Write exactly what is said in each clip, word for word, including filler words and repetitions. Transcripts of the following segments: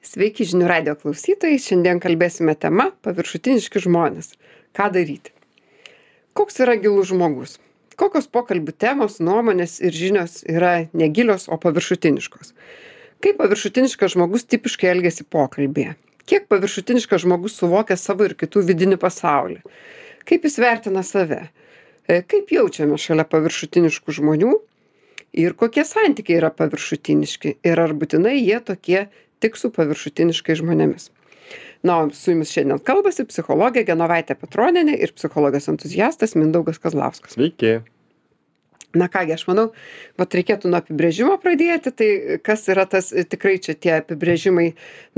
Sveiki žinių radijo klausytojai, šiandien kalbėsime tema paviršutiniški žmonės. Ką daryti? Koks yra gilus žmogus? Kokios pokalbių temos, nuomonės ir žinios yra negilios, o paviršutiniškos? Kaip paviršutiniškas žmogus tipiškai elgiasi pokalbėje? Kiek paviršutiniškas žmogus suvokia savo ir kitų vidinį pasaulį? Kaip jis vertina save? E, Kaip jaučiame šalia paviršutiniškų žmonių? Ir kokie santykiai yra paviršutiniški? Ir ar būtinai jie tokie tik su paviršutiniškais žmonėmis? Na, o su jumis šiandien kalbasi psichologė Genovaitė Petronienė ir psichologas entuziastas Mindaugas Kazlauskas. Sveiki. Na kągi, aš manau, vat reikėtų nuo apibrėžimo pradėti, tai kas yra tas, tikrai čia tie apibrėžimai,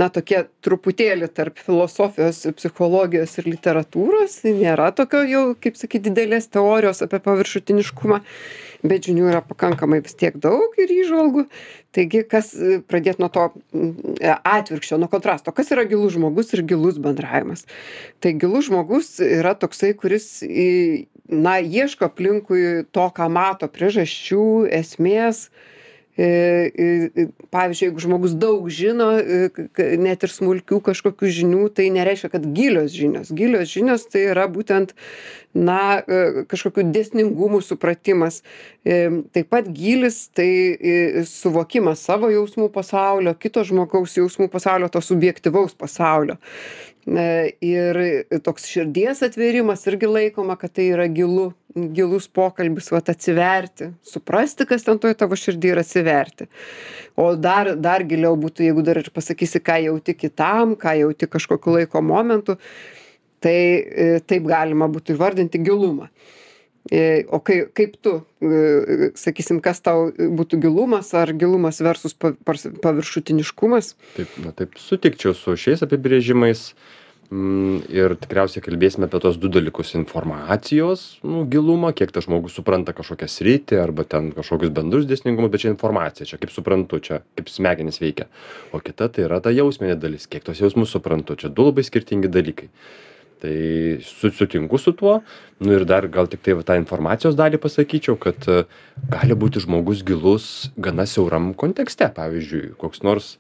na, tokie truputėlį tarp filosofijos, psichologijos ir literatūros, nėra tokio jau, kaip sakyti, didelės teorijos apie paviršutiniškumą, bet žinių yra pakankamai vis tiek daug ir įžvalgų. Taigi, kas pradėti nuo to atvirkščio, nuo kontrasto, kas yra gilus žmogus ir gilus bendravimas. Tai gilus žmogus yra toksai, kuris, na, ieško aplinkui to, ką mato, priežasčių, esmės. Pavyzdžiui, jeigu žmogus daug žino, net ir smulkių kažkokių žinių, tai nereiškia, kad gilios žinios. Gilios žinios tai yra būtent, na, kažkokių dėsningumų supratimas. Taip pat gilis tai suvokimas savo jausmų pasaulio, kito žmogaus jausmų pasaulio, to subjektyvaus pasaulio. Ir toks širdies atvėrimas irgi laikoma, kad tai yra gilu, gilus pokalbis, vat atsiverti, suprasti, kas ten toj tavo širdį ir atsiverti. O dar, dar giliau būtų, jeigu dar ir pasakysi, ką jauti kitam, ką jauti kažkokiu laiko momentu, tai taip galima būtų įvardinti gilumą. O kai, kaip tu, sakysim, kas tau būtų gilumas, ar gilumas versus paviršutiniškumas? Taip, na, taip sutikčiau su šiais apibrėžimais. Ir tikriausiai kalbėsime apie tos du dalykus - informacijos, nu, gilumą, kiek tas žmogus supranta kažkokią sritį arba ten kažkokius bendrus dėsningumus, bet čia informacija, čia kaip suprantu, čia kaip smegenys veikia. O kita tai yra ta jausminė dalis, kiek tos jausmus suprantu, čia du labai skirtingi dalykai. Tai sutinku su tuo, nu ir dar gal tik tai va, tą informacijos dalį pasakyčiau, kad gali būti žmogus gilus gana siauram kontekste, pavyzdžiui, koks nors,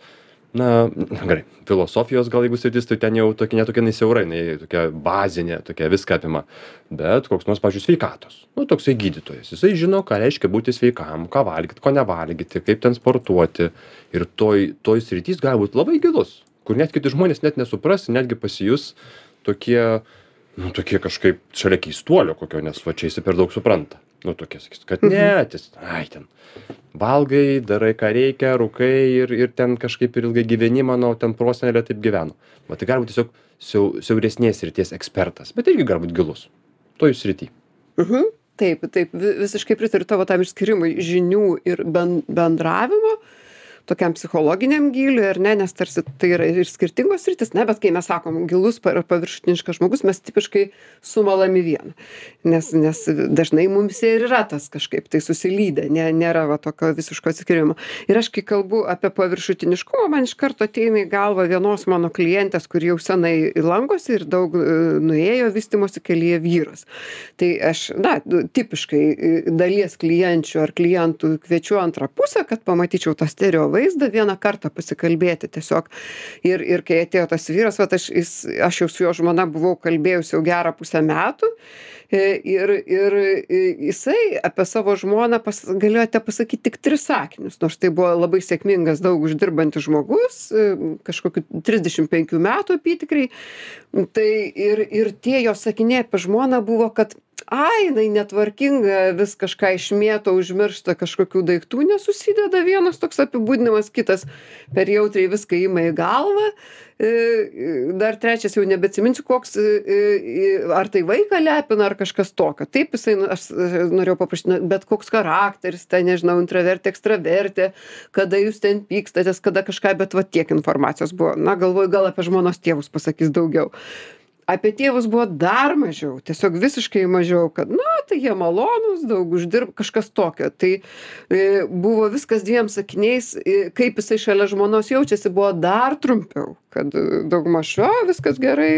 na, gerai, filosofijos gal jeigu sritis, tai ten jau tokia netokia siaurai, tokia bazinė, tokia viską apima, bet koks nors, pavyzdžiui, sveikatos, nu, toksai gydytojas, jisai žino, ką reiškia būti sveikam, ką valgyti, ko nevalgyti, kaip ten sportuoti, ir toj, toj sritys gali būti labai gilus, kur net kiti žmonės net nesupras, netgi pasijus tokie, nu, tokie kažkaip šalia keistuolio kokio, nes va čia jis per daug supranta. Nu, tokie sakys, kad ne, tis, ai, ten, valgai, darai ką reikia, rūkai ir, ir ten kažkaip ir ilgai gyveni, manau, ten prosenelė taip gyveno. Va, tai gali būti tiesiog siau, siauresnės srities ekspertas, bet irgi gali būti gilus. Toj srity. Mhm. Taip, taip, visiškai pritariu tavo tam išskirimui žinių ir ben, bendravimo, tokiam psichologiniam gyliui, ar ne, nes tarsi tai yra ir skirtingos sritis, ne, bet kai mes sakom gilus ar paviršutiniškas žmogus, mes tipiškai sumalam į vieną, nes, nes dažnai mums ir yra tas kažkaip tai susilydę, ne, nėra va tokio visiško atskirimo. Ir aš kai kalbu apie paviršutiniškumą, man iš karto ateina į galvą vienos mano klientės, kur jau senai lankosi ir daug nuėjo vystymosi kelyje vyras. Tai aš, na, tipiškai dalies klienčių ar klientų kviečiu antrą pusę, kad pamatyčiau tą stereo vaizdą vieną kartą pasikalbėti tiesiog. Ir, ir kai atėjo tas vyras, vat aš, jis, aš jau su jo žmona buvau kalbėjus jau gerą pusę metų ir, ir jisai apie savo žmoną pas, galėjote pasakyti tik tris sakinius, nors tai buvo labai sėkmingas, daug uždirbantis žmogus, kažkokiu trisdešimt penkių metų apytikriai. Tai ir, ir tie jo sakiniai apie žmoną buvo, kad ai, jinai netvarkinga, vis kažką išmėto, užmiršta kažkokių daiktų, nesusideda vienas toks apibūdinimas, kitas per jautriai viską ima į galvą. Dar trečias jau nebeatsiminsiu, koks, ar tai vaiką lepina, ar kažkas tokio. Taip, jisai, aš norėjau paprašyti, bet koks charakteris, tai nežinau, intravertė, ekstravertė, kada jūs ten pykstatės, kada kažką, bet va tiek informacijos buvo. Na, galvoju, gal apie žmonos tėvus pasakys daugiau. apie tėvus buvo dar mažiau, tiesiog visiškai mažiau, kad, na, tai jie malonūs, daug uždirba, kažkas tokio. Tai e, buvo viskas dviem sakiniais, e, kaip jisai šalia žmonos jaučiasi, buvo dar trumpiau, kad daugmaž, o, viskas gerai,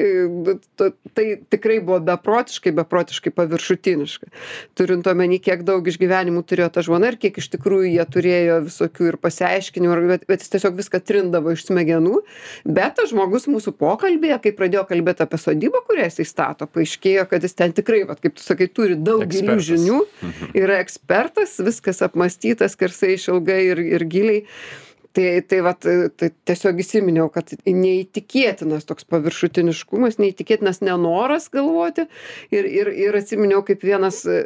t- tai tikrai buvo beprotiškai, beprotiškai paviršutiniška. Turint omeny, kiek daug išgyvenimų turėjo ta žmona ir kiek iš tikrųjų jie turėjo visokių ir pasiaiškinimų, bet, bet jis tiesiog viską trindavo iš smegenų. Bet tas žmogus mūsų pokalbėje, kai pradėjo kalbėti apie sodybą, kurią jisai stato, paaiškėjo, kad jis ten tikrai, vat, kaip tu sakai, turi daug gilių Ekspertas. žinių, yra ekspertas, viskas apmastytas, skersai išilgai ir, ir giliai. Tai, tai, vat, tai tiesiog įsiminiau, kad neįtikėtinas toks paviršutiniškumas, neįtikėtinas nenoras galvoti. Ir, ir, ir atsiminiau, kaip vienas, e,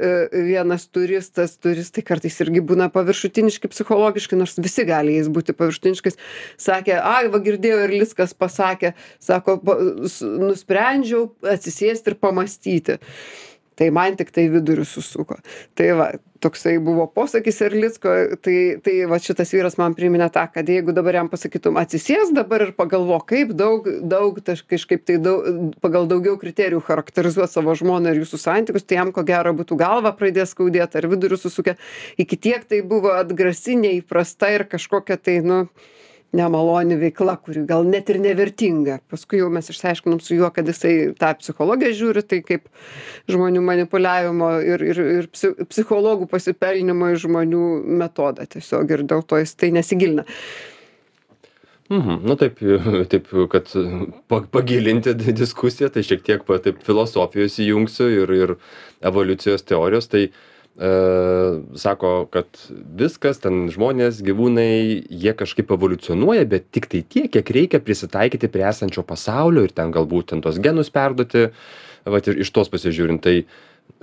vienas turistas, turistai kartais irgi būna paviršutiniški psichologiškai, nors visi gali jais būti paviršutiniškais, sakė, ai, va girdėjau ir Liskas pasakė, sako, pa- s- nusprendžiau atsisėsti ir pamastyti. Tai man tik tai vidurius susuko. Tai va, toksai buvo posakis Erlicko, tai, tai va šitas vyras man priminė tą, kad jeigu dabar jam pasakytum atsisės dabar ir pagalvo, kaip daug, daug, taš- kažkaip tai daug, pagal daugiau kriterijų charakterizuoti savo žmoną ir jūsų santykius, tai jam ko gero būtų galva pradės skaudėti ar vidurius susukę. Iki tiek tai buvo atgrasi, neįprasta ir kažkokia tai, nu, nemaloni veikla, kuri gal net ir nevertinga. Paskui jau mes išsiaiškinom su juo, kad jisai tą psichologiją žiūri, tai kaip žmonių manipuliavimo ir, ir, ir psi- psichologų pasipelnimo iš žmonių metodą tiesiog ir dėl to jis tai nesigilina. Mhm. Nu taip, taip, kad pa- pagilinti di- diskusiją, tai šiek tiek pa, taip filosofijos įjungsiu ir, ir evoliucijos teorijos. Tai e, sako, kad viskas, ten žmonės, gyvūnai, jie kažkaip evoliucionuoja, bet tik tai tiek, kiek reikia prisitaikyti prie esančio pasaulio ir ten galbūt ten tos genus perduoti, vat ir iš tos pasižiūrint. Tai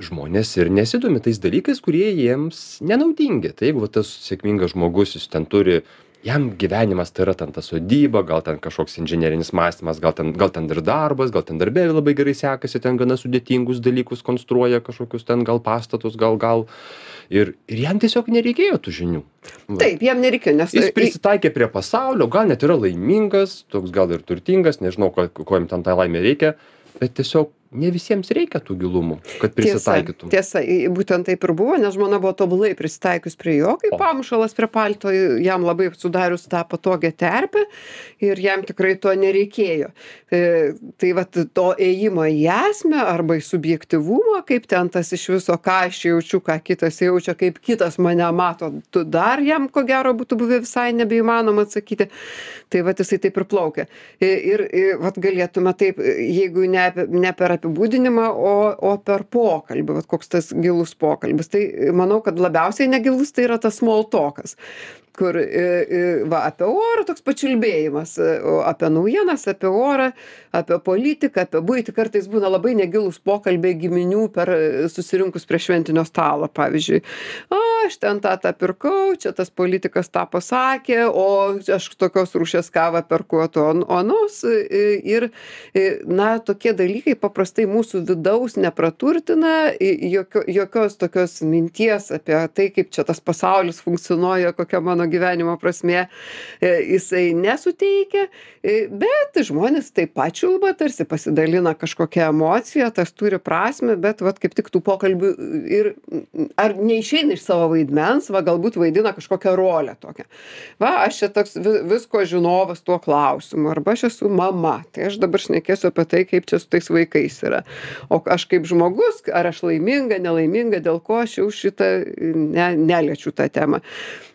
žmonės ir nesidomi tais dalykais, kurie jiems nenaudingi. Tai jeigu va, tas sėkmingas žmogus, jis ten turi, jam gyvenimas tai yra ten ta sodyba, gal ten kažkoks inžinerinis mąstymas, gal ten, gal ten ir darbas, gal ten darbe labai gerai sekasi, ten gana sudėtingus dalykus konstruoja, kažkokius ten gal pastatus, gal gal. Ir, ir jam tiesiog nereikėjo tų žinių. Va. Taip, jam nereikėjo, nes Jis prisitaikė prie pasaulio, gal net yra laimingas, toks gal ir turtingas, nežinau, ko, ko jam ten tą laimę reikia, bet tiesiog ne visiems reikia tų gilumų, kad prisitaikytum. Tiesa, tiesa, i- būtent taip ir buvo, nes žmona buvo tobulai prisitaikius prie jo, kaip O. pamušalas prie palto, jam labai sudarius tą patogią terpę ir jam tikrai to nereikėjo. E, tai vat to ėjimo į esmę arba į subjektyvumą, kaip ten tas iš viso, ką aš jaučiu, ką kitas jaučia, kaip kitas mane mato, tu dar jam ko gero būtų buvę visai nebeįmanoma atsakyti. Tai vat jisai taip ir plaukia. Ir, ir vat galėtume taip, jeigu ne, apie- ne per apibūdinimą, o, o per pokalbį, vat koks tas gilus pokalbis. Tai manau, kad labiausiai negilus tai yra tas small talkas, kur e, e, va, apie orą toks pačiulbėjimas, e, o apie naujienas, apie orą, apie politiką, apie buitį. Kartais būna labai negilus pokalbiai giminių per e, susirinkus prie šventinio stalo, pavyzdžiui. A, aš ten tą tą pirkau, čia tas politikas tą pasakė, o aš tokios rūšies kavą perku, o to anos. e, Ir, e, na, tokie dalykai paprastai mūsų vidaus nepraturtina, i- jokio, jokios tokios minties apie tai, kaip čia tas pasaulis funkcionuoja, kokia mano gyvenimo prasmė, e, jisai nesuteikia, e, bet žmonės taip pat čiulba, tarsi pasidalina kažkokią emociją, tas turi prasme, bet vat, kaip tik tų pokalbių ir ar neišeina iš savo vaidmens, va galbūt vaidina kažkokią rolę tokią. Va, aš čia toks vi- visko žinovas tuo klausimu, arba aš esu mama, tai aš dabar šnekėsiu apie tai, kaip čia su tais vaikais yra. O aš kaip žmogus, ar aš laiminga, nelaiminga, dėl ko aš jau šitą ne, neliečiu tą temą.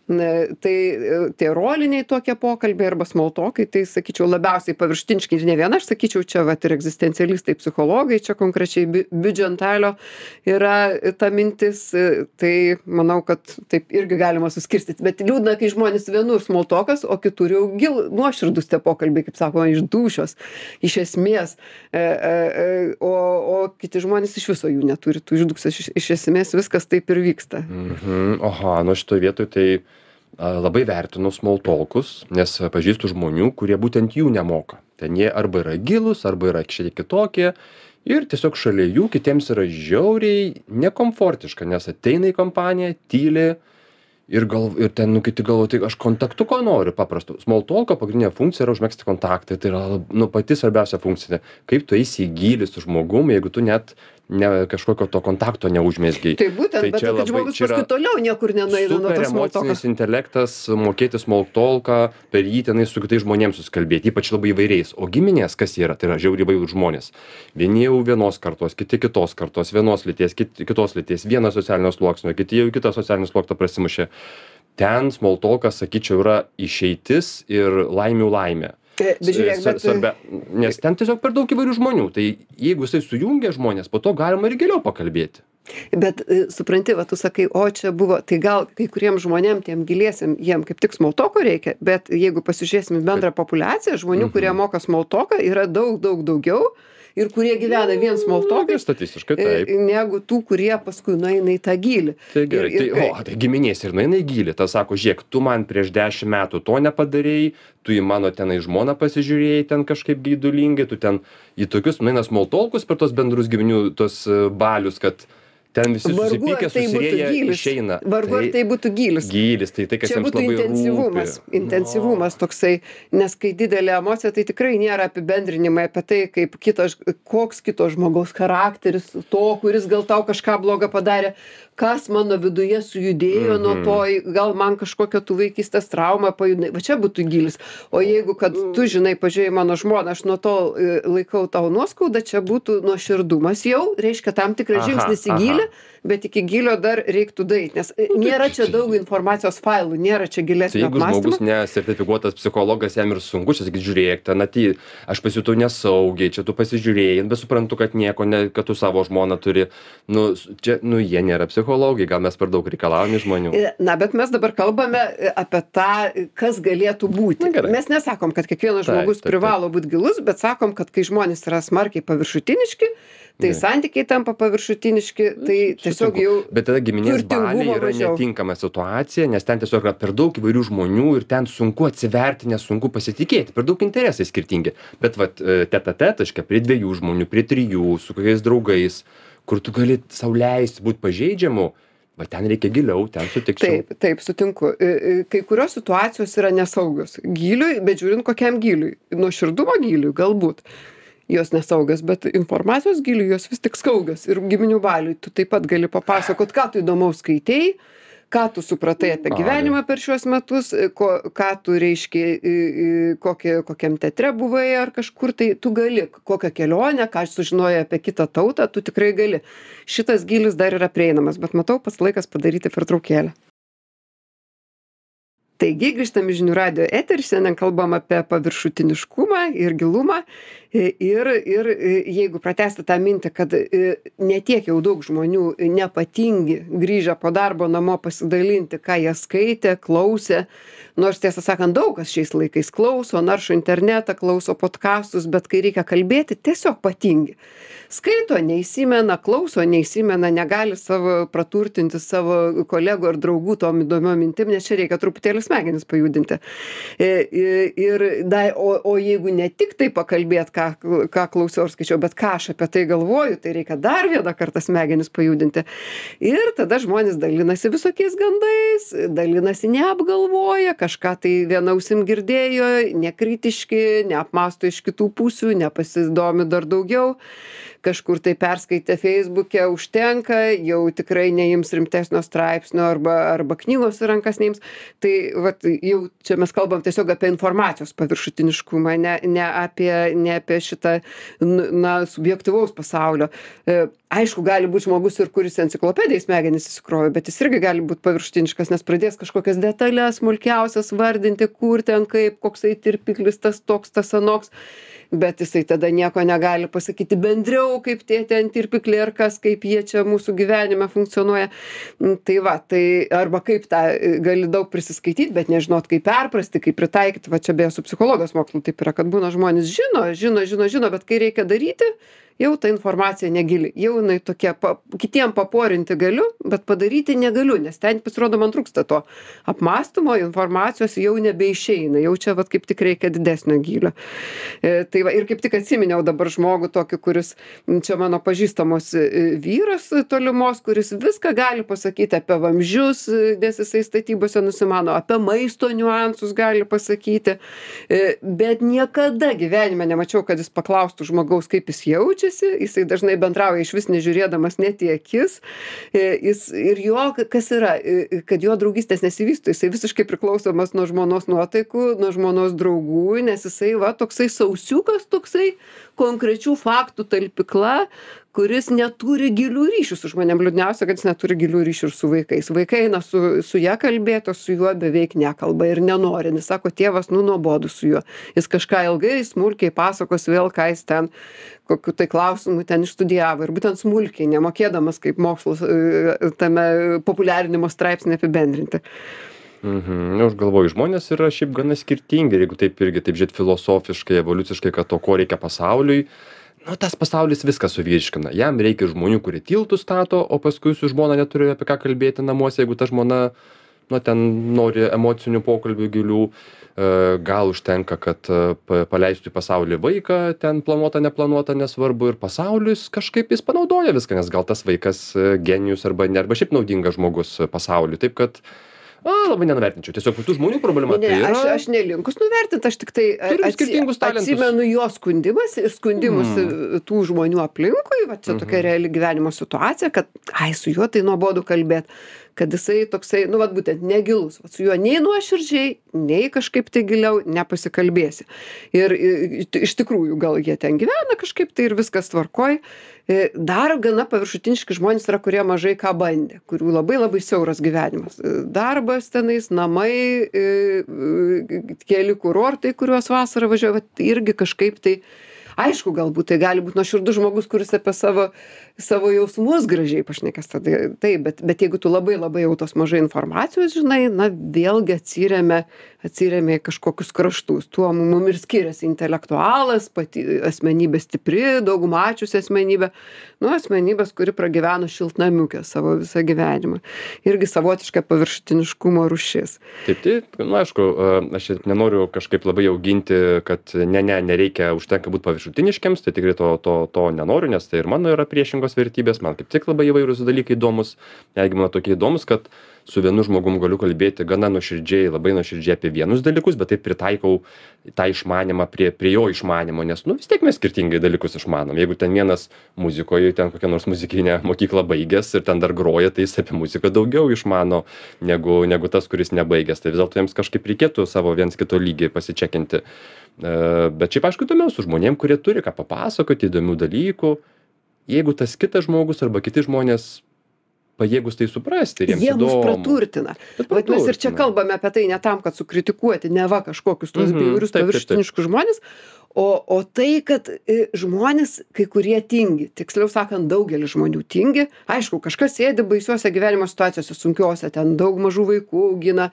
Na, tai e, tie roliniai tokie pokalbiai arba smoltokai, tai sakyčiau labiausiai paviršutiniški ir ne viena, aš sakyčiau, čia vat ir egzistencialistai, psichologai, čia konkrečiai Bi- Biudžentalio yra ta mintis, e, tai manau, kad taip irgi galima suskirstyti, bet liūdna, kai žmonės vienur smoltokas, o kitur jau gil, nuoširdus tie pokalbiai, kaip sakoma, iš dūšios, iš esmės, e, e, e, o, o kiti žmonės iš viso jų neturi, tų išdūksės, iš, iš esmės viskas taip ir vyksta. Mhm. Oha, nu šitoje vietoje tai a, labai vertinu smoltolkus, nes pažįstu žmonių, kurie būtent jų nemoka. Ten jie arba yra gilus, arba yra šiek tiek kitokie. Ir tiesiog šalia jų kitiems yra žiauriai nekomfortiška, nes ateina į kompaniją, tyli ir gal ir ten nu kiti galvoja tai aš kontaktuko noriu paprasto smoltolko pagrindinė funkcija yra užmegzti kontaktą tai yra nu pati svarbiausia funkcija kaip tu eisi į gylį su žmogum jeigu tu net ne kažkokio to kontakto neužmezgei. Tai būtent, tai bet kad labai, žmogus paskui toliau niekur nenueina nuo to small talko. Super emocinis intelektas, mokėti small talką, per jį tenai su kitais žmonėms susikalbėti, ypač labai įvairiais. O giminės, kas yra, tai yra žiauriai įvairūs žmonės. Vieni jau vienos kartos, kiti kitos kartos, vienos lyties, kiti, kitos lyties, vienas socialinio sluoksnio, kiti jau kitą socialinį sluoksną prasimušė. Ten small talkas, sakyčiau, yra išeitis ir laimių laimė. Bet žiūrėk, bet... Svarbia, nes ten tiesiog per daug įvairių žmonių. Tai jeigu jisai sujungia žmonės, po to galima ir giliau pakalbėti. Bet supranti, va, tu sakai, o čia buvo, tai gal kai kuriem žmonėm, tiem giliesiam, jiem kaip tik small talko reikia, bet jeigu pasižiūrėsim į bendrą populiaciją, žmonių, kurie moka small talką, yra daug, daug daugiau. Ir kurie gyvena vien small talkais, statistiškai taip, negu tų, kurie paskui nueina į tą gylį. Tai gerai, ir, ir, tai, o, tai giminės ir nueina į gylį. Tas sako, žiūrėk, tu man prieš dešimt metų to nepadarėjai, tu į mano tenai žmoną pasižiūrėjai ten kažkaip geidulingai, tu ten į tokius nueina small talkus per tos bendrus giminių tos balius, kad ten visi susipykę, tai susirėję gylis. Išeina. Vargu ar tai būtų gylis. Gylis, tai tai, kas čia jiems būtų labai intensyvumas, rūpi. intensyvumas toksai, nes kai didelė emocija, tai tikrai nėra apibendrinimai apie tai, kaip kito, koks kito žmogaus charakteris, to, kuris gal tau kažką blogą padarė, kas mano viduje sujudėjo nuo to, gal man kažkokia tų vaikystės trauma pajudinai, va čia būtų gylis. O jeigu, kad tu žinai, pažiūrėjai mano žmoną, aš nuo to laikau tau nuoskaudą, čia būtų nuoširdumas jau, reiškia tam tikras žingsnis į gylį, bet iki gylio dar reiktų daeiti, nes nėra čia daug informacijos failų, nėra čia gilesnio apmąstymo. Jeigu žmogus nesertifikuotas psichologas, jam ir sunku, čia sakyt, žiūrėk, ten atį, aš pasijutau nesaugiai, čia tu pasižiūrėjai, bet suprantu, kad nieko, ne, kad tu savo žmoną turi, nu, čia, nu, jie nėra psichologai, gal mes per daug reikalavome žmonių. Na, bet mes dabar kalbame apie tą, kas galėtų būti. Na, mes nesakom, kad kiekvienas žmogus taip, taip, taip. privalo būti gilus, bet sakom, kad kai žmonės yra smarkiai paviršutiniški, tai ne. santykiai tampa paviršutiniški, tai tiesiog jau... Bet tada giminės baliai yra mažiau. Netinkama situacija, nes ten tiesiog yra per daug įvairių žmonių ir ten sunku atsiverti, nesunku pasitikėti, per daug interesai skirtingi. Bet vat teta-tetaškai prie dviejų žmonių, prie trijų, su kokiais draugais, kur tu gali sau leisti būti pažeidžiamu, va ten reikia giliau, ten sutikčiau. Taip, taip, sutinku. Kai kurios situacijos yra nesaugios. Gyliui, bet žiūrint kokiam gyliui. Nuoširdumo gyliui galbūt. Jos nesaugios, bet informacijos giliui jos vis tik saugios. Ir giminių baliui tu taip pat gali papasakot, ką tu įdomaus skaitei, ką tu supratai apie gyvenimą per šiuos metus, ko, ką tu reiškia, kokie, kokiam teatre buvai ar kažkur, tai tu gali, kokią kelionę, ką sužinojai apie kitą tautą, tu tikrai gali. Šitas gylis dar yra prieinamas, bet matau, pats laikas padaryti pertraukėlę. Taigi, grįžtam į Žinių radijo eterį, šiandien kalbam apie paviršutiniškumą ir gilumą. Ir, ir jeigu pratęsti tą mintį, kad ne tiek jau daug žmonių nepatingi grįžę po darbo namo pasidalinti, ką jie skaitė, klausė, nors tiesą sakant, daug kas šiais laikais klauso, naršo internetą, klauso podkastus, bet kai reikia kalbėti, tiesiog patingi. Skaito, neįsimena, klauso, neįsimena, negali savo praturtinti savo kolegų ar draugų tom įdomiom mintim, nes čia reikia truputėlį smegenis pajudinti. Ir, da, o, o jeigu ne tik tai pakalbėt, ką, ką klausiau ar skaičiau, bet ką aš apie tai galvoju, tai reikia dar vieną kartą smegenis pajudinti. Ir tada žmonės dalinasi visokiais gandais, dalinasi neapgalvoja, kažką tai viena ausim girdėjo, nekritiški, neapmąsto iš kitų pusių, nepasidomi dar daugiau. Kažkur tai perskaitė Feisbuke, užtenka, jau tikrai neims rimtesnio straipsnio arba, arba knygos į rankas neims. Tai vat, jau čia mes kalbam tiesiog apie informacijos paviršutiniškumą, ne, ne, apie, ne apie šitą na, subjektyvaus pasaulio. E, aišku, gali būti žmogus ir kuris enciklopedijai smegenis įsikrojo, bet jis irgi gali būti paviršutiniškas, nes pradės kažkokias detalės, smulkiausias vardinti, kur ten kaip, koksai tirpiklis, tas toks, tas anoks. Bet jisai tada nieko negali pasakyti bendriau, kaip tie ten tirpikliai ar kas, kaip jie čia mūsų gyvenime funkcionuoja. Tai va, tai arba kaip tą gali daug prisiskaityti, bet nežinot, kaip perprasti, kaip pritaikyti. Va čia beje su psichologijos mokslu taip yra, kad būna žmonės žino, žino, žino, žino, bet kai reikia daryti, jau ta informacija negili, jau jinai tokia, pa, kitiem paporinti galiu, bet padaryti negaliu, nes ten pasirodo man trūksta to apmąstymo, informacijos jau nebeišeina, jau čia vat kaip tik reikia didesnio gylio. E, tai va, ir kaip tik atsiminiau dabar žmogų tokį, kuris, čia mano pažįstamos vyras tolimos, kuris viską gali pasakyti apie vamzdžius, nes jisai statybose nusimano, apie maisto niuansus gali pasakyti, bet niekada gyvenime nemačiau, kad jis paklaustų žmogaus, kaip jis jaučiasi, jisai dažnai bendrauja iš vis nežiūrėdamas net į akis, jis, ir jo, kas yra, kad jo draugystės nesivysto, jisai visiškai priklausomas nuo žmonos nuotaikų, nuo žmonos draugų, nes jisai va toksai sausiukas, toksai konkrečių faktų talpikla, kuris neturi gilių ryšių su žmonėm. Liūdniausia, kad jis neturi gilių ryšių ir su vaikais. Vaikai eina su, su ja kalbėti, o su juo beveik nekalba ir nenori. Jis sako, tėvas, nu nuobodu su juo. Jis kažką ilgai, smulkiai pasakos vėl, ką jis ten, kokiu tai klausimu ten išstudijavo. Ir būtent smulkiai, nemokėdamas kaip mokslos tame populiarinimo straipsnį apibendrinti. Mhm. Aš galvoju, žmonės yra šiaip gana skirtingi, jeigu taip irgi taip žiūrėt filosofiškai, evoliuciškai, kad to, ko reikia pasauliui. Nu, tas pasaulis viską suvyriškina. Jam reikia žmonių, kurie tiltų stato, o paskui su žmona neturi apie ką kalbėti namuose, jeigu ta žmona, nu, ten nori emocinių pokalbių gilių. Gal užtenka, kad paleistų į pasaulį vaiką, ten planuota, neplanuota, nesvarbu, ir pasaulis kažkaip jis panaudoja viską, nes gal tas vaikas genijus arba ne, arba šiaip naudingas žmogus pasauliui. Taip kad a, labai nenuvertinčiau. Tiesiog tų žmonių problema ne, tai yra. Aš, aš nelinkus nuvertinti, aš tik tai Turim skirtingus talentus. atsimenu jo skundimas ir skundimus Mm. tų žmonių aplinkui, va čia tokia reali gyvenimo situacija, kad ai, su juo tai nuobodu kalbėti, kad jisai toksai, nu, vat būtent negilus, vat su juo nei nuoširdžiai, nei kažkaip tai giliau nepasikalbėsi. Ir i- iš tikrųjų, gal jie ten gyvena kažkaip tai ir viskas tvarkoj. E, Dar gana paviršutiniški žmonės yra, kurie mažai ką bandė, kurių labai labai siauras gyvenimas. E, Darbas tenais, namai, e, e, keli kurortai, kuriuos vasarą važiuoja, vat irgi kažkaip tai, aišku, galbūt tai gali būti nuoširdus žmogus, kuris apie savo, savo jausmus gražiai pašnekės, tada taip, bet, bet jeigu tu labai labai jau tos mažai informacijos žinai, na vėlgi atsiremia, atsiremia į kažkokius kraštus. Tuo mum ir skiriasi intelektualas, pati asmenybė stipri, daug mačiusi asmenybė, nu asmenybės, kuri pragyveno šiltnamiukę savo visą gyvenimą. Irgi savotiška paviršutiniškumo rūšis. Taip, tai, nu, aišku, aš čia nenoriu kažkaip labai auginti, kad ne, ne, nereikia, užtenka būti paviršutiniškiams, tai tikrai to, to, to nenoriu, nes tai ir mano yra priešingos vertybės, man kaip tik labai įvairūs dalykai įdomus, jeigu man tokie įdomus, kad su vienu žmogum galiu kalbėti gana nuoširdžiai, labai nuoširdžiai apie vienus dalykus, bet taip pritaikau tą išmanimą prie, prie jo išmanimo, nes, nu, vis tiek mes skirtingai dalykus išmanom. Jeigu ten vienas muzikoje, ten kokią nors muzikinę mokyklą baigęs ir ten dar groja, tai jis apie muziką daugiau išmano negu, negu tas, kuris nebaigęs. Tai vis dėlto jiems kažkaip reikėtų savo viens kito lygį pasičekinti. Bet šiaip, aišku, įdomiau su žmonėm, kurie turi ką papasakoti, įdomių dalykų. Jeigu tas kitas žmogus arba kiti žmonės pajėgus tai suprasti ir jiems Jie mus įdomu. praturtina. Bet Vat mes ir čia praturtina. kalbame apie tai ne tam, kad sukritikuoti, ne va kažkokius tuos Mhm, bjaurius taip, taip, taip. paviršutiniškus žmonės, o, o tai, kad e, žmonės kai kurie tingi, tiksliau sakant, daugelis žmonių tingi. Aišku, kažkas sėdi baisiuose gyvenimo situacijose, sunkiuose, ten daug mažų vaikų augina,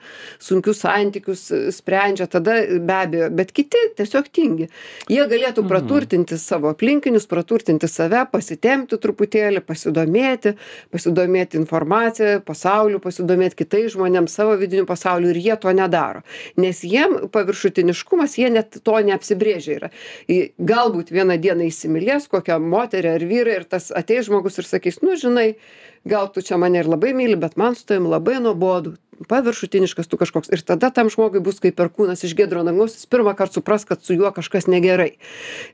sunkius santykius e, sprendžia, tada be abejo, bet kiti tiesiog tingi. Jie galėtų praturtinti savo aplinkinius, praturtinti save, pasitempti truputėlį, pasidomėti, pasidomėti informaciją, pasauliu, pasidomėti kitais žmonėms, savo vidiniu pasauliu, ir jie to nedaro. Nes jiem paviršutiniškumas, jie net to neapsibrėžia yra. Į- Galbūt vieną dieną įsimylės kokią moterį ar vyrą ir tas ateis žmogus ir sakys, nu žinai, gal tu čia mane ir labai myli, bet man su tavim labai nuobodu, paviršutiniškas tu kažkoks. Ir tada tam žmogui bus kaip perkūnas iš giedro dangaus, jis pirmą kartą supras, kad su juo kažkas negerai.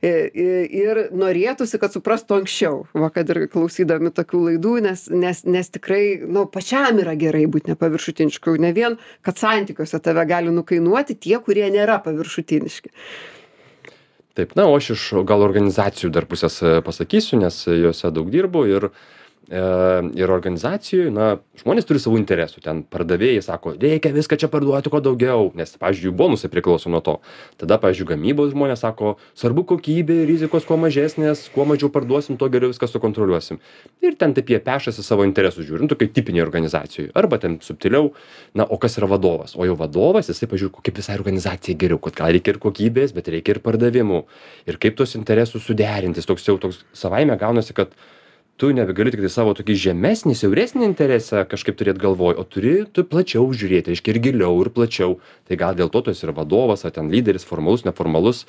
I- i- Ir norėtųsi, kad suprastų anksčiau, va, kad ir klausydami tokių laidų, nes, nes, nes tikrai, nu, pačiam yra gerai būti nepaviršutinišku. Ne vien, kad santykiuose tave gali nukainuoti tie, kurie nėra paviršutiniški. Taip, na, o aš iš gal organizacijų dar pusės e, pasakysiu, nes juose daug dirbu ir e, ir organizacijoj, na, žmonės turi savų interesų. Ten pardavėjai sako, reikia viską čia parduoti kuo daugiau, nes, pavyzdžiui, jų bonusai priklauso nuo to. Tada, pavyzdžiui, gamybos žmonės sako, svarbu kokybė, rizikos kuo mažesnės, kuo mažiau parduosim, tuo geriau viską sukontroliuosim. Ir ten taip jie pešasi savo interesus žiūrint, tokiai tipiniai organizacijai. Arba ten subtiliau, na, o kas yra vadovas? O jau vadovas, jisai pažiūrė, kaip visai organizacijai geriau, kad gal reikia ir kokybės, bet reikia ir pardavimų. Ir kaip tuos interesus suderinti. Toks jau toks savaime gaunasi, kad tu nebegali tik tai savo tokį žemesnį, siauresnį interesą kažkaip turėt galvoj, o turi tu plačiau žiūrėti, reiškia ir giliau, ir plačiau. Tai gal dėl to tu esi ir vadovas, ar ten lyderis, formalus, neformalus.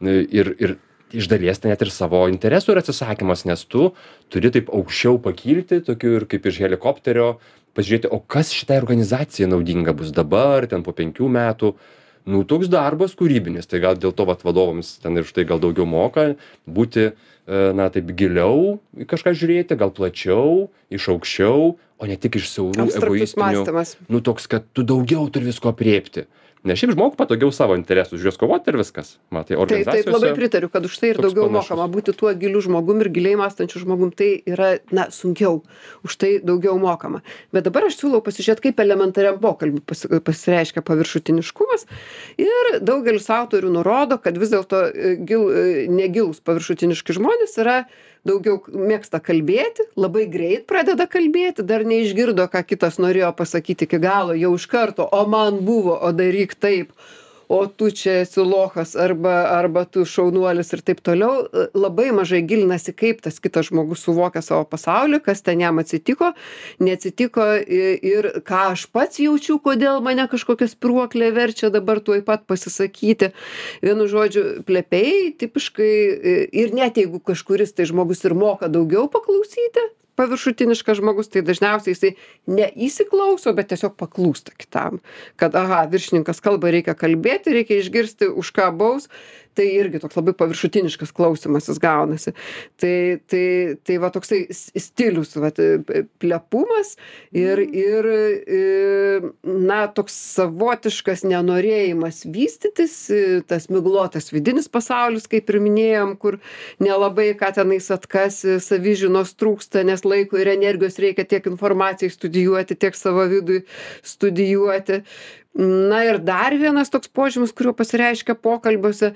Ir, ir iš dalies tai net ir savo interesų yra atsisakymas, nes tu turi taip aukščiau pakilti, tokiu ir kaip iš helikopterio, pažiūrėti, o kas šitai organizacijai naudinga bus dabar, ten po penkių metų. Nu, toks darbas kūrybinis, tai gal dėl to vat vadovams ten ir štai gal daugiau moka būti, na, taip giliau į kažką žiūrėti, gal plačiau, iš aukščiau, o ne tik iš siaurų Abstraktus egoistinių. mąstymas. Nu, toks, kad tu daugiau turi visko apriepti. Nes šiaip žmogui patogiau savo interesus, už juos kovoti ir viskas. Matai, Taip, organizacijose. taip, labai pritariu, kad už tai ir toks daugiau panašus. mokama. Būti tuo giliu žmogum ir giliai mąstančiu žmogum, tai yra, na, sunkiau. Už tai daugiau mokama. Bet dabar aš siūlau pasižiūrėti, kaip elementariam pokalbiui pasi- pasireiškia paviršutiniškumas. Ir daugelis autorių nurodo, kad vis dėlto e, gil, e, negilūs paviršutiniški žmonės yra daugiau mėgsta kalbėti, labai greit pradeda kalbėti, dar neišgirdo, ką kitas norėjo pasakyti iki galo, jau iš karto, o man buvo, o daryk taip, o tu čia esi lochas arba, arba tu šaunuolis ir taip toliau. Labai mažai gilinasi, kaip tas kitas žmogus suvokia savo pasaulį, kas ten jam atsitiko, neatsitiko i- ir ką aš pats jaučiu, kodėl mane kažkokia spyruoklė verčia dabar tuoj pat pasisakyti. Vienu žodžiu, plepiai tipiškai i- ir net jeigu kažkuris tai žmogus ir moka daugiau paklausyti, paviršutiniškas žmogus, tai dažniausiai jisai neįsiklauso, bet tiesiog paklūsta kitam. Kad, aha, viršininkas kalba, reikia kalbėti, reikia išgirsti, už ką baus. Tai irgi toks labai paviršutiniškas klausimasis gaunasi. Tai, tai, tai va toksai s- stilius, va, plepumas ir, ir, e, na, toks savotiškas nenorėjimas vystytis, e, tas miglotas vidinis pasaulis, kaip ir minėjom, kur nelabai ką tenais atkasi, savižinos trūksta, nes laiko ir energijos reikia tiek informacijai studijuoti, tiek savo vidui studijuoti. Na ir dar vienas toks požymis, kuriuo pasireiškia pokalbiuose,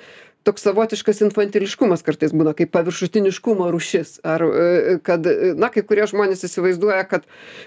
toks savotiškas infantiliškumas kartais būna, kaip paviršutiniškumo rūšis. Ar e, kad, e, na, kai kurie žmonės įsivaizduoja, kad,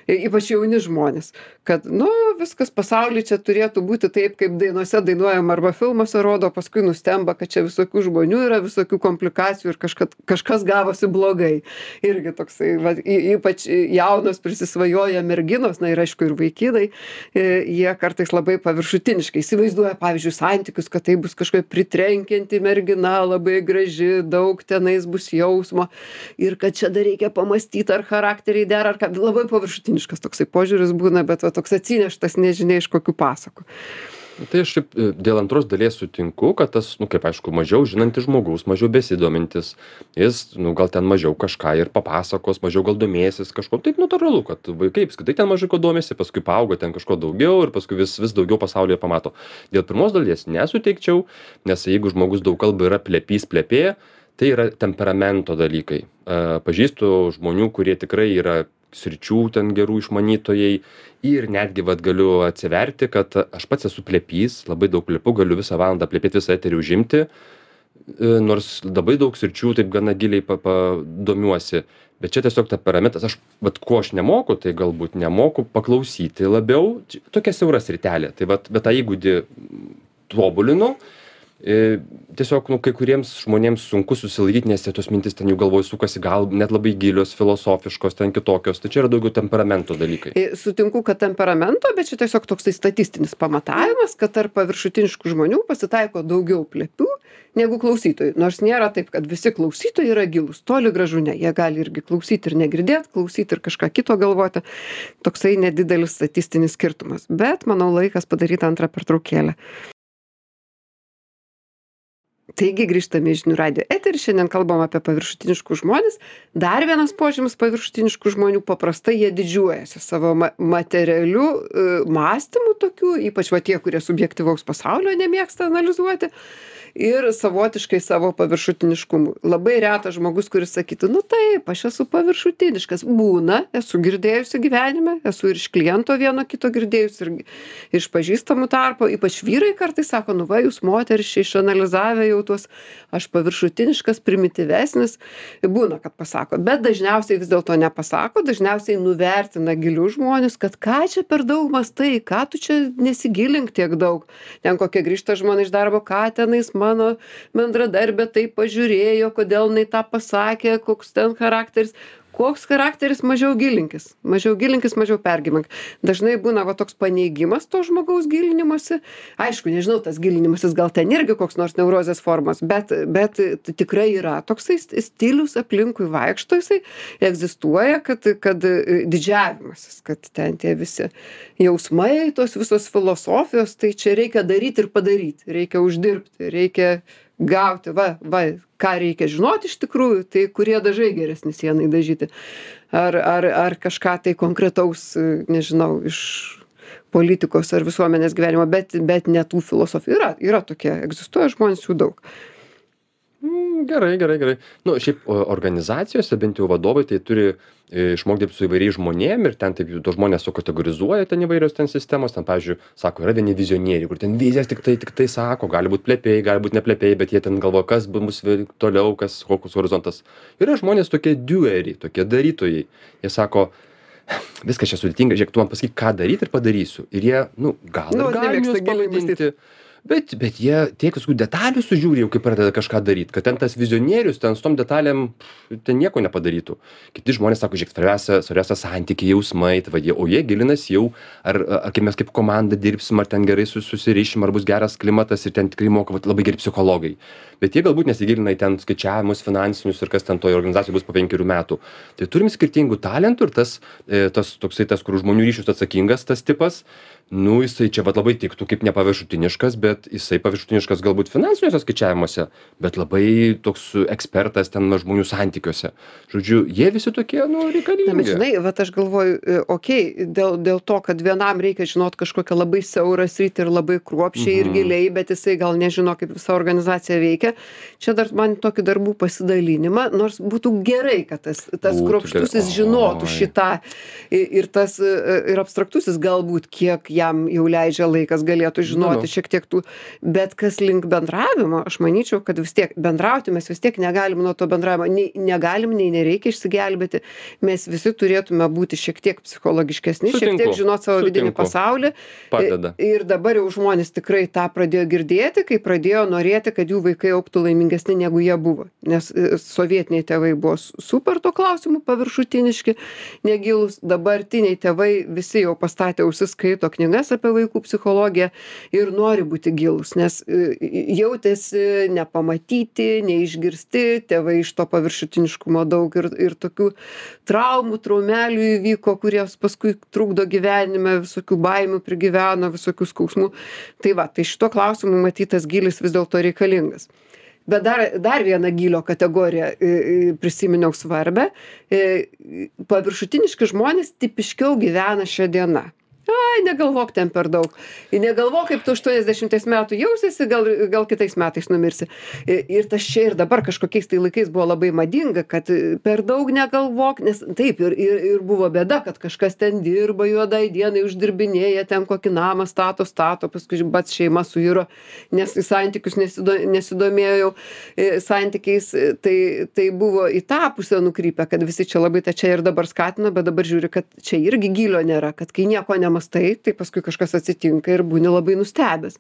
e, ypač jauni žmonės, kad, nu, viskas pasaulyje čia turėtų būti taip, kaip dainuose dainuojam arba filmuose rodo, paskui nustemba, kad čia visokių žmonių yra, visokių komplikacijų ir kažkas, kažkas gavosi blogai. Irgi toksai, va, y- ypač jaunos prisisvajoja merginos, na ir aišku ir vaikinai, e, jie kartais labai paviršutiniškai įsivaizduoja, pavyzdžiui, santykius, kad tai bus kažkokia pritrenkianti mergina, labai graži, daug tenais bus jausmo ir kad čia dar reikia pamastyti, ar charakteriai dera, ar ką. Labai paviršutiniškas toksai požiūris būna, bet va, toks atsineštas nežinia iš kokių pasakų. Tai aš šiaip e, dėl antros dalies sutinku, kad tas, nu kaip aišku, mažiau žinantis žmogus, mažiau besidomintis, jis, nu gal ten mažiau kažką ir papasakos, mažiau gal domėsis kažko. Taip natūralu, kad vaikai apskritai ten mažai ko domėsi, paskui paauga ten kažko daugiau ir paskui vis, vis daugiau pasaulyje pamato. Dėl pirmos dalies nesuteikčiau, nes jeigu žmogus daug kalba yra plepys plepė, tai yra temperamento dalykai. E, pažįstu žmonių, kurie tikrai yra sričių ten gerų išmanytojai ir netgi vat galiu atsiverti, kad aš pats esu plepys, labai daug plepu, galiu visą valandą plepėti, visą eterį užimti, e, nors labai daug sričių taip gana giliai pa, pa, domiuosi. Bet čia tiesiog temperamentas, aš, vat ko aš nemoku, tai galbūt nemoku paklausyti labiau, Čia tokia siaura sritelė. Tai vat, bet tą įgūdį tobulinu. E, tiesiog, nu, kai kuriems žmonėms sunku susilaikyti, nes jie tos mintis ten jų galvoj sukasi, gal net labai gilios, filosofiškos, ten kitokios. Tai čia yra daugiau temperamento dalykai. E, Sutinku, kad temperamento, bet čia tiesiog toksai statistinis pamatavimas, kad tarp paviršutiniškų žmonių pasitaiko daugiau plepių negu klausytojų. Nors nėra taip, kad visi klausytojai yra gilūs. Toli gražu ne. Jie gali irgi klausyti ir negirdėti, klausyti ir kažką kito galvoti. Toksai nedidelis statistinis skirtumas. Bet, manau, laikas padaryti antrą pertraukėlę. Taigi grįžtame į žinių radijo eterį, šiandien kalbam apie paviršutiniškus žmones. Dar vienas požymis paviršutiniškų žmonių, paprastai jie didžiuojasi savo ma materialiu e, mąstymu tokiu, ypač va tie, kurie subjektyvaus pasaulio nemėgsta analizuoti. ir savotiškai savo paviršutiniškumu. Labai retas žmogus, kuris sakytų, nu taip, aš esu paviršutiniškas. Būna, esu girdėjusi gyvenime, esu ir iš kliento vieno kito girdėjusi, ir iš pažįstamų tarpo, ypač vyrai kartais sako, nu va, jūs moteris čia išanalizavę jau tuos, aš paviršutiniškas, primityvesnis. Būna, kad pasako, bet dažniausiai vis dėlto nepasako, dažniausiai nuvertina gilius žmonės, kad ką čia per daug mastai, ką tu čia nesigilink tiek daug. Ten kokie grįžta žmonės iš darbo, ką tenais mano bendradarbė taip pažiūrėjo, kodėl jinai tą pasakė, koks ten charakteris. Koks charakteris, mažiau gilinkis. Mažiau gilinkis, mažiau pergyvenk. Dažnai būna va toks paneigimas to žmogaus gilinimosi. Aišku, nežinau, tas gilinimasis gal ten irgi koks nors neurozės formos, bet, bet tikrai yra toksai stilius aplinkui vaikšto, jisai egzistuoja, kad, kad didžiavimasis, kad ten tie visi jausmai, tos visos filosofijos, tai čia reikia daryti ir padaryti, reikia uždirbti, reikia gauti, va, va, ką reikia žinoti iš tikrųjų, tai kurie dažai geresni sienai dažyti. Ar, ar, ar kažką tai konkretaus, nežinau, iš politikos ar visuomenės gyvenimo, bet, bet ne tų filosofijų. Yra, yra tokie, egzistuoja žmonės jų daug. Gerai, gerai, gerai. Nu, šiaip organizacijose, bent jau vadovai, tai turi išmokti dirbti su įvairiais žmonėm ir ten taip tos žmonės sukategorizuoja ten įvairios ten sistemos, ten, pavyzdžiui, sako, yra vieni vizionieriai, kur ten vizijas tik tai, tik tai sako, gali būti plėpėjai, gali būti neplėpėjai, bet jie ten galvoja, kas bus toliau, kas, koks horizontas. Yra žmonės tokie doeriai, tokie darytojai. Jie sako, viskas čia sudėtinga, žiūrėk, tu man pasakyk, ką daryti ir padarysiu. Ir jie, nu, gal Nu, ir gali nemėgsta juos giliai pavadinti. Bet, bet jie tiek visokių detalių sužiūri jau, kai pradeda kažką daryt, kad ten tas vizionierius, ten su tom detalėm, ten nieko nepadarytų. Kiti žmonės sako, žiūrėk, svarbiausia, svarbiausia santykiai, jausmai, tai va, jie, o jie gilinasi jau, ar, ar kaip mes kaip komanda dirbsim, ar ten gerai susirišim, ar bus geras klimatas ir ten tikrai moka va, labai geri psichologai. Bet jie galbūt nesigilina į ten skaičiavimus finansinius ir kas ten toje organizacijoje bus po penkerių metų. Tai turim skirtingų talentų ir tas, tas toksai tas, kur žmonių ryšius atsakingas tas tipas, nu, jisai čia vat labai tiktų kaip nepaviršutiniškas, bet jisai paviršutiniškas galbūt finansiniuose skaičiavimuose, bet labai toks ekspertas ten žmonių santykiuose. Žodžiu, jie visi tokie, nu, reikalingi. Na, bet žinai, vat aš galvoju, okei, okay, dėl, dėl to, kad vienam reikia žinot kažkokią labai siaurą sritį ir labai kruopščiai mhm. ir giliai, bet jisai gal nežino, kaip visa organizacija veikia. Čia dar man tokį darbų pasidalinimą, nors būtų gerai, kad tas, tas kruopštusis žinotų šitą ir tas ir abstraktusis galbūt, kiek jam jau leidžia laikas, galėtų žinoti nu. šiek tiek tų, bet kas link bendravimo, aš manyčiau, kad vis tiek bendrauti mes vis tiek negalim nuo to bendravimo, nei negalim, nei nereikia išsigelbėti, mes visi turėtume būti šiek tiek psichologiškesni, Sutinku. šiek tiek žinot savo Sutinku. vidinį pasaulį. Padeda. Ir dabar jau žmonės tikrai tą pradėjo girdėti, kai pradėjo norėti, kad jų vaikai augtų laimingesni, negu jie buvo. Nes sovietiniai tėvai buvo super to klausimų paviršutiniški, negilūs, dabartiniai tėvai visi jau pastatė ausis, skaito knygas apie vaikų psichologiją ir nori būti gilūs, nes jautėsi nepamatyti, neišgirsti, tėvai iš to paviršutiniškumo daug ir, ir tokių traumų, traumelių įvyko, kurios paskui trukdo gyvenime, visokių baimių prigyveno, visokių skausmų. Tai va, tai šito klausimu matytas gilis vis dėlto reikalingas. Bet dar, dar vieną gylio kategoriją prisiminiau svarbę. Paviršutiniški žmonės tipiškiau gyvena šią dieną. Ai, negalvok ten per daug. Negalvok, kaip tu aštuoniasdešimties metų jausiesi, gal, gal kitais metais numirsi. Ir tas čia ir dabar kažkokiais tai laikais buvo labai madinga, kad per daug negalvok, nes taip ir, ir, ir buvo bėda, kad kažkas ten dirba juodai dienai, uždirbinėja, ten kokį namą stato, stato, paskui pats šeima suiro, nes į santykius nesido, nesidomėjau santykiais. Tai, tai buvo į tą pusę nukrypę, kad visi čia labai tą čia ir dabar skatino, bet dabar žiūri, kad čia irgi gylio nėra, kad kai nieko nematau, tai, tai paskui kažkas atsitinka ir būni labai nustebęs.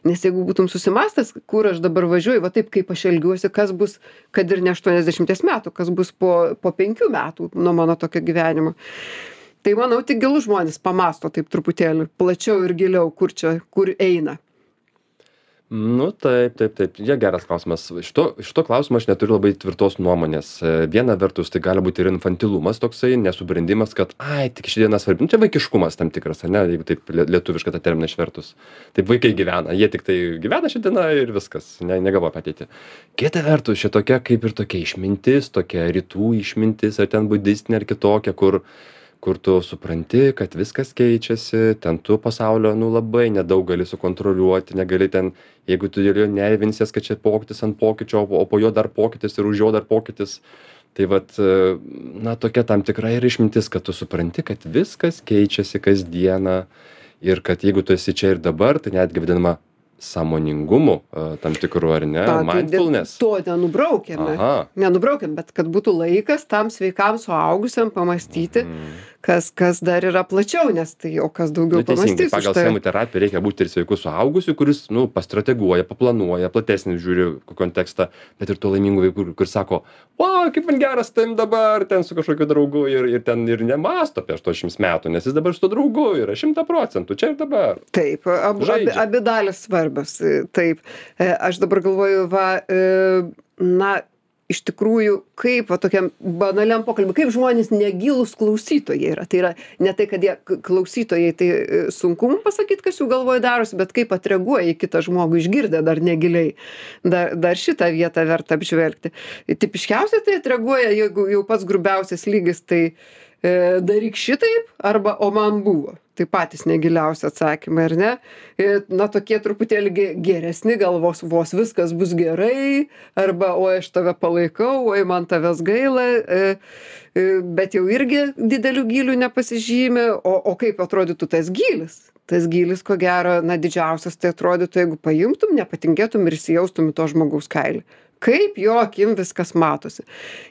Nes jeigu būtum susimastęs, kur aš dabar važiuoju, va taip kaip aš elgiuosi, kas bus, kad ir ne aštuoniasdešimties metų, kas bus po, po penkių metų nuo mano tokio gyvenimo. Tai manau, tik gilūs žmonės pamasto taip truputėlį plačiau ir giliau, kur čia, kur eina. Nu, taip, taip, taip. Jie geras klausimas. Šito, šito klausimo aš neturiu labai tvirtos nuomonės. Viena vertus, tai gali būti ir infantilumas toksai, nesubrendimas, kad, ai, tik ši diena svarbi. Nu, čia vaikiškumas tam tikras, ar ne, jeigu taip lietuvišką tą terminą išvertus. Taip vaikai gyvena, jie tik tai gyvena šią dieną ir viskas, ne, negalvoja apie ateitį. Kita vertus, šitokia kaip ir tokia išmintis, tokia rytų išmintis, ar ten budistinė, ar kitokia, kur kur tu supranti, kad viskas keičiasi, ten tu pasaulio, nu, labai nedaug gali sukontroliuoti, negali ten, jeigu tu dėl jo nervinsies, kad čia pokytis ant pokyčio, o po jo dar pokytis ir už jo dar pokytis. Tai vat, na, tokia tam tikra ir išmintis, kad tu supranti, kad viskas keičiasi kasdieną ir kad jeigu tu esi čia ir dabar, tai netgi vadinama sąmoningumu tam tikru, ar ne? Ta, Mindfulness. To nenubraukiame. Aha. Nenubraukiam, bet kad būtų laikas tam sveikam suaugusiam pamastyti, Mm. kas, kas dar yra plačiau, nes tai o kas daugiau Nu, teisingai, pamastys. už pagal tai. schemų terapiją reikia būti ir sveiku suaugusiu, kuris, nu, pastrateguoja, paplanuoja, platesnį žiūri kontekstą, bet ir to laimingų vaikų, kuris sako, o, kaip man geras tam dabar, ten su kažkokiu draugu ir, ir ten ir nemasto apie aštuoniasdešimt metų, nes jis dabar su to draugu yra šimta procentų, čia ir dabar. Taip, abu, abi, Žaidžia. abi dalis svarbios. Taip. E, Aš dabar galvoju, va, e, na, iš tikrųjų, kaip va, tokiam banaliam pokalbiui, kaip žmonės negilūs klausytojai yra. Tai yra ne tai, kad jie k- klausytojai, tai e, sunku mums pasakyti, kas jų galvoje darosi, bet kaip atreaguoja į kitą žmogų išgirdę dar negiliai. Dar, dar šitą vietą verta apžvelgti. Tipiškiausiai tai atreaguoja, jeigu jau pats grubiausias lygis, tai e, daryk šitaip arba o man buvo. Tai patys negiliausi atsakymai, ar ne? E, Na, tokie truputėlį ge- geresni galvos, vos viskas bus gerai, arba oi aš tave palaikau, oi man tavęs gaila, e, e, bet jau irgi didelių gylių nepasižymė, o, o kaip atrodytų tas gylis? Tas gylis, ko gero, na, didžiausias tai atrodytų, jeigu paimtum, nepatingėtum ir įsijaustum į to žmogaus kailį. Kaip jo akim viskas matosi.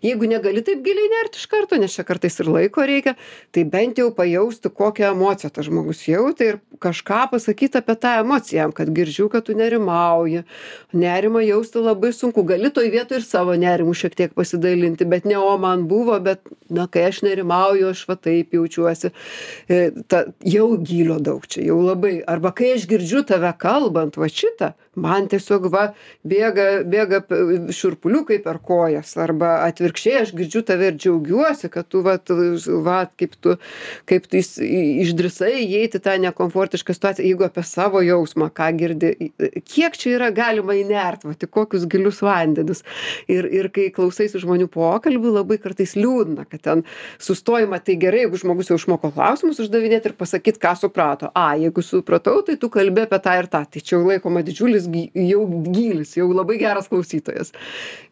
Jeigu negali taip giliai nerti iš karto, nes čia kartais ir laiko reikia, tai bent jau pajausti, kokią emociją tas žmogus jautė ir kažką pasakyti apie tą emociją, jam, kad girdžiu, kad tu nerimauji. Nerimą jausti labai sunku. Gali toj vietoj ir savo nerimų šiek tiek pasidalinti, bet ne o man buvo, bet, na, kai aš nerimauju, aš va taip jaučiuosi. E, Ta, jau gylio daug čia, jau labai. Arba kai aš girdžiu tave kalbant, va šitą, man tiesiog va bėga, bėga p- šiurpuliukai per kojas, arba atvirkščiai aš girdžiu tave ir džiaugiuosi, kad tu va, va kaip tu, kaip tu įs- į- išdrįsai įeiti tą nekomfortišką situaciją, jeigu apie savo jausmą, ką girdi, kiek čia yra galima įnert, va, tik kokius gilius vandenis. Ir, ir kai klausaisi žmonių pokalbių, labai kartais liūdna, kad ten sustojama, tai gerai, jeigu žmogus jau išmoko klausimus uždavinėti ir pasakyti, ką suprato. A, jeigu supratau, tai tu kalbė apie tą ir tą. Tai čia jau laikoma didžiulis gy- jau gylis, jau labai geras klausytojas.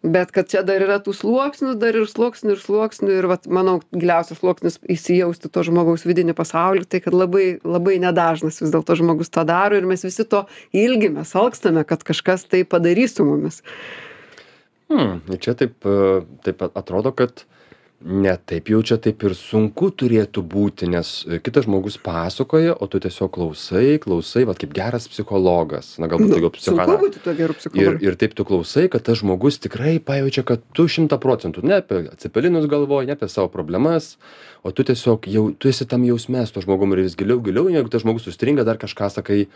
Bet kad čia dar yra tų sluoksnių, dar ir sluoksnių ir sluoksnių ir, vat, manau, giliausias sluoksnis įsijausti to žmogaus vidinį pasaulį, tai kad labai, labai nedažnas vis dėlto žmogus tą daro ir mes visi to ilgimės, alkstame, kad kažkas tai padarys su mumis. Hmm, ir čia taip, e, taip atrodo, kad ne taip jau čia taip ir sunku turėtų būti, nes e, kitas žmogus pasakoja, o tu tiesiog klausai, klausai, va kaip geras psichologas, na galbūt daugiau Sunku psichoanalitikos. būti tuo geru Ir, psichologu. ir taip tu klausai, kad tas žmogus tikrai pajaučia, kad tu šimta procentų ne apie atsipelinus galvoji, ne apie savo problemas, o tu tiesiog jau, tu esi tam jausme su to žmogum ir vis giliau, giliau, jeigu tas žmogus sustringa, dar kažką sakai,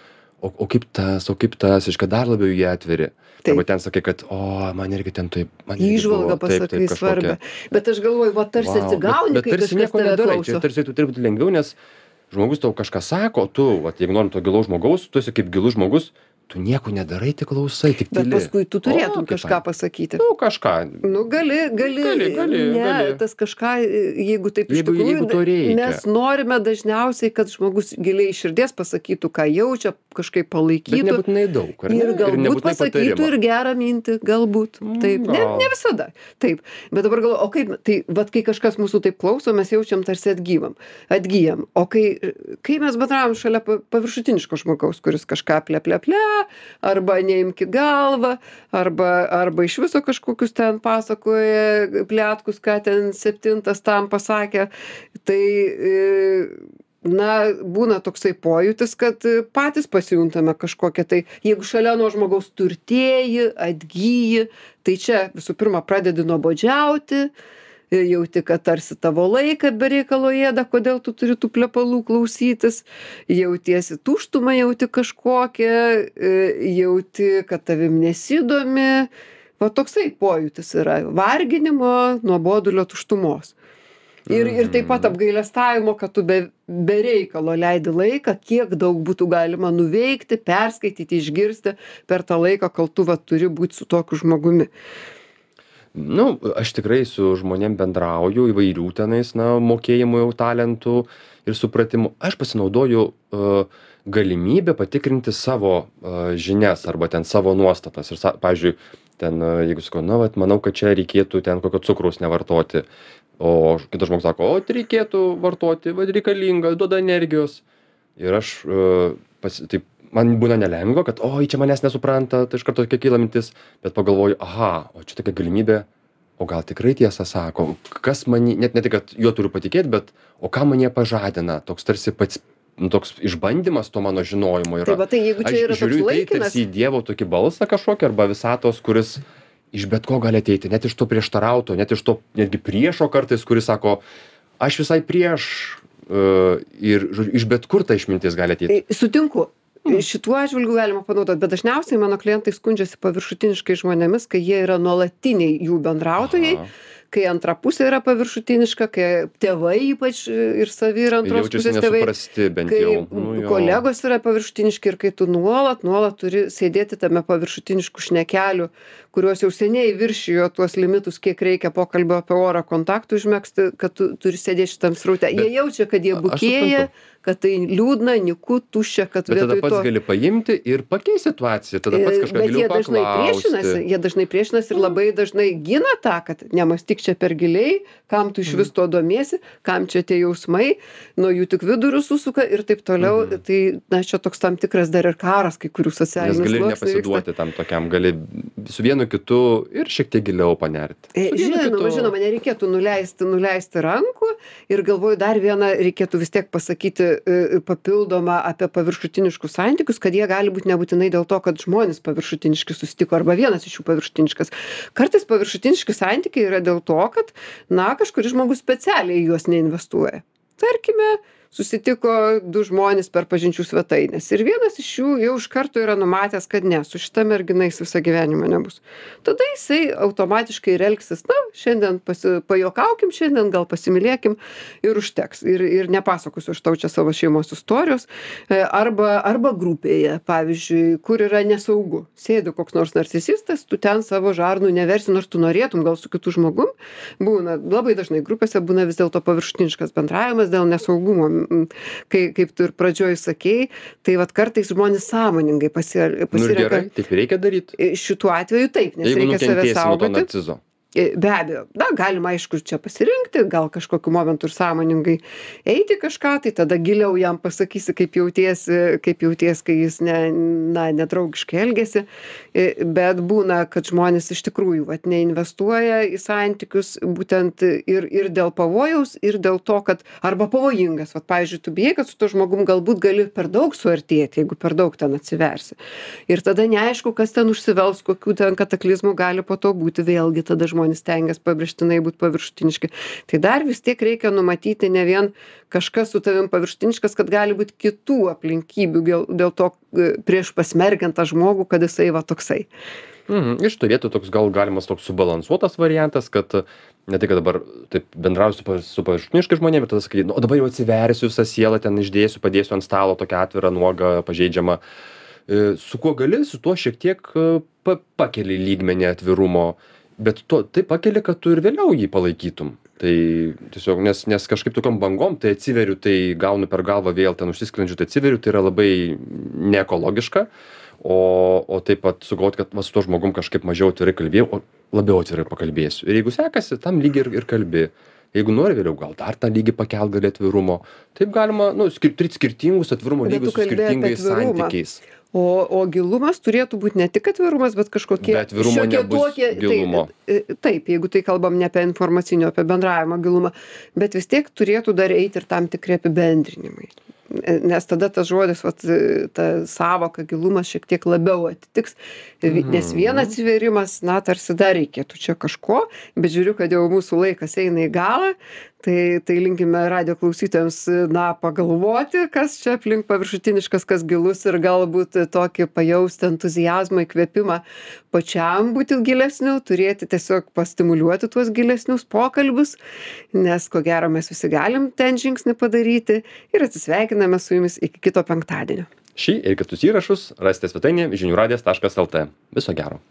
o, o kaip tas, o kaip tas, iškai dar labiau jį atveri. Taip. Arba ten sakai, kad, o, man irgi ten taip, man irgi Įžvalga buvo, taip, pasakai taip, kažkokia. svarbę. Bet aš galvoju, va tarsi Vau, atsigauni, bet, bet kai tarsi kažkas nieko tave nedarai, klauso. čia tarsi tu turi būti lengviau, nes žmogus tau kažką sako, tu, vat, jeigu norim to gilaus žmogaus, tu esi kaip gilus žmogus, tu nieko nedarai, tik klausai, tik Bet tyli. paskui tu turėtum O, kaip kažką fain. pasakyti. Nu, kažką. Nu, gali, gali, Gali, gali, ne, gali. tas kažką, jeigu taip iš Jeigu- tikrųjų, jeigu to reikia. mes norime dažniausiai, kad žmogus giliai iš širdies pasakytų, ką jaučia, kažkaip Bet palaikytų. nebūtinai daug, ar ne? Ir galbūt nebūtinai pasakytų patarimą. ir gerą mintį, galbūt. Taip, ne, gal. ne visada. Taip. Bet dabar galvoju, o kaip, tai vad, kai kažkas mūsų taip klauso, mes jaučiam tarsi atgyvam, atgyjam. O kai, kai mes bendravom šalia pa- paviršutiniško žmogaus, kuris kažką ple, ple, ple, arba neimki galvą, arba, arba iš viso kažkokius ten pasakoja plėtkus, ką ten septintas tam pasakė, tai e, na, būna toksai pojūtis, kad e, patys pasijuntame kažkokią tai, jeigu šalia nuo žmogaus turtėji, atgyji, tai čia visų pirma pradedi nuobodžiauti, e, jauti, kad tarsi tavo laiką be reikalo ėda, kodėl tu turi tų plepalų klausytis, jautiesi tuštumą, jauti kažkokią, e, jauti, kad tavim nesidomi, va toksai pojūtis yra varginimo, nuobodulio, tuštumos. Ir, ir taip pat apgailestavimo, kad tu be, be reikalo leidi laiką, kiek daug būtų galima nuveikti, perskaityti, išgirsti per tą laiką, kol tu va, turi būti su tokiu žmogumi. Nu, aš tikrai su žmonėm bendrauju įvairių tenais, na, mokėjimų jau talentų ir supratimų. Aš pasinaudoju uh, galimybę patikrinti savo uh, žinias arba ten savo nuostatas. Ir, sa- pavyzdžiui, ten, uh, jeigu sakau, na, vat, manau, kad čia reikėtų ten kokio cukraus nevartoti, o kitas žmogus sako, o tai reikėtų vartoti, vad reikalinga, duoda energijos. Ir aš uh, pas, taip, man būna nelengva, kad, oi, čia manęs nesupranta, tai iš karto tokia kyla mintis, bet pagalvoju, aha, o čia tokia galimybė, o gal tikrai tiesą sako, kas man, net ne tik, kad juo turiu patikėti, bet o ką mane pažadina, toks tarsi pats, nu, toks išbandymas to mano žinojimo yra. Tai va, tai jeigu čia Aš yra toks žiūriu į tai laikinas, tarsi į Dievo tokį balsą kažkokį arba visatos, kuris iš bet ko gali ateiti, net iš to prieštarauto, net iš to netgi priešo kartais, kuris sako, aš visai prieš uh, ir žodžiu, iš bet kur ta išmintis gali ateiti. tai sutinku. Šituo atžvilgiu galima panaudoti, bet dažniausiai mano klientai skundžiasi paviršutiniškai žmonėmis, kai jie yra nuolatiniai jų bendrautojai, Aha. kai antra pusė yra paviršutiniška, kai tėvai ypač ir savi ir antros Jaučiasi pusės tėvai, nesuprasti bent kai jau. Nu, jo. kolegos yra paviršutiniški ir kai tu nuolat, nuolat turi sėdėti tame paviršutiniškų šnekelių, kuriuos jau seniai viršijo tuos limitus, kiek reikia pokalbio apie orą kontaktų užmegzti, kad tu turi sėdėti šitam sraute. Jie Bet jaučia, kad jie aš bukėja, suprantu. kad tai liūdna, niku, tuščia, kad Bet tada vietoj pats to... gali paimti ir pakeisti situaciją, tada pats E, kažką Bet giliau jie dažnai priešinasi, paklausti. jie dažnai priešinasi ir labai dažnai gina tą, kad nemastyk čia per giliai, kam tu iš vis to domiesi, kam čia tie jausmai, nuo jų tik vidurius susuka ir taip toliau. Mhm. Tai, na, čia toks tam tikras dar ir karas, kai kurių Nes socialinių gali ir sluoksnių vyksta. nepasiduoti tam tokiam, gali su vienu kitu ir šiek tiek giliau panerti. E, Su vienu Žinoma, kitu- žinoma, nereikėtų nuleisti, nuleisti rankų ir galvoju dar vieną reikėtų vis tiek pasakyti e, papildomą apie paviršutiniškus santykius, kad jie gali būti nebūtinai dėl to, kad žmonės paviršutiniški susitiko arba vienas iš jų paviršutiniškas. Kartais paviršutiniški santykiai yra dėl to, kad, na, kažkuris žmogus specialiai į juos neinvestuoja. Tarkime, susitiko du žmonės per pažinčių svetainės ir vienas iš jų jau iš karto yra numatęs, kad ne, su šita mergina jis visą gyvenimą nebus. Tada jisai automatiškai ir elgsis, na, šiandien pasi, pajokaukim, šiandien gal pasimylėkim ir užteks. Ir, ir nepasakosiu aš tau čia savo šeimos istorijos. E, Arba, arba grupėje, pavyzdžiui, kur yra nesaugu. Sėdi koks nors narcisistas, tu ten savo žarnų neversi, nors tu norėtum gal su kitu žmogum. Būna, labai dažnai grupėse būna vis dėlto paviršutiniškas bendravimas dėl nesaugumo. M, Kai, kaip tu ir pradžioj sakei, tai vat kartais žmonės sąmoningai pasi- Nu ir pasirenka. gerai, taip ir reikia daryti. Šituo atveju taip, nes Jeigu reikia save nukentėsi nuo to saugoti. narcizo. E, Be abejo, na, galima aišku čia pasirinkti, gal kažkokiu momentu ir sąmoningai eiti kažką, tai tada giliau jam pasakysi, kaip jautiesi, kaip jautiesi, kai jis ne, na, nedraugiškai elgesi. E, Bet būna, kad žmonės iš tikrųjų vat, neinvestuoja į santykius būtent ir, ir dėl pavojaus, ir dėl to, kad arba pavojingas. Vat, pavyzdžiui, tu bijai, kad su to žmogum galbūt gali per daug suartėti, jeigu per daug ten atsiversi. Ir tada neaišku, kas ten užsivels, kokių ten kataklizmų gali po to būti, vėlgi tada žmonės stengiasi pabrėžtinai būti paviršutiniški. Tai dar vis tiek reikia numatyti ne vien kažkas su tavim paviršutiniškas, kad gali būti kitų aplinkybių dėl, dėl to e, prieš pasmerkiant tą žmogų, kad jisai va toksai. Mhm. Iš to vietų toks gal galimas toks subalansuotas variantas, kad uh, ne tai, kad dabar taip bendrauju su, pa- su paviršutiniškai žmonėmis, bet tada sakai, nu, o dabar jau atsiversiu visą sielą, ten išdėsiu, padėsiu ant stalo tokią atvirą, nuogą, pažeidžiamą. E, Su kuo gali, su tuo šiek tiek uh, pa pakeli lygmenį atvirumo, bet to, tai pakeli, kad tu ir vėliau jį palaikytum. Tai tiesiog, nes, nes kažkaip tokiom bangom, tai atsiveriu, tai gaunu per galvą vėl ten užsisklendžiu, tai atsiveriu, tai yra labai neekologiška. O, o taip pat sugalvoti, kad va, su tuo žmogum kažkaip mažiau atvirai kalbėjau, o labiau atvirai pakalbėsiu. Ir jeigu sekasi, tam lygiai ir, ir kalbi. Jeigu nori vėliau, gal dar tą lygį pakelt gali atvirumo. Taip galima, nu, skir turėti skirtingus atvirumo Bet lygius tu su kalbėjai apie skirtingais atvirumą. santykiais. O, o gilumas turėtų būti ne tik atvirumas, bet kažkokie... Be atvirumo šiokie nebus tokie- gilumo. Tai, e, taip, jeigu tai kalbam ne apie informacinio, apie bendravimo gilumą, bet vis tiek turėtų dar eiti ir tam tikri apibendrinimai. E, Nes tada tas žodis, vat, e, ta savoka gilumas šiek tiek labiau atitiks, Vi- nes vienas atsiverimas, na, tarsi dar reikėtų čia kažko, bet žiūriu, kad jau mūsų laikas eina į galą, tai, tai linkime radio klausytojams, na, pagalvoti, kas čia aplink paviršutiniškas, kas gilus ir galbūt tokį pajausti entuzijazmą, įkvėpimą pačiam būti gilesniu, turėti tiesiog pastimuliuoti tuos gilesnius pokalbius, nes ko gero mes visi galim ten žingsnį padaryti ir atsisveikiname su jumis iki kito penktadienio. Šį ir kitus įrašus rasite svetainėje žinių radijas taškas lt. Viso gero.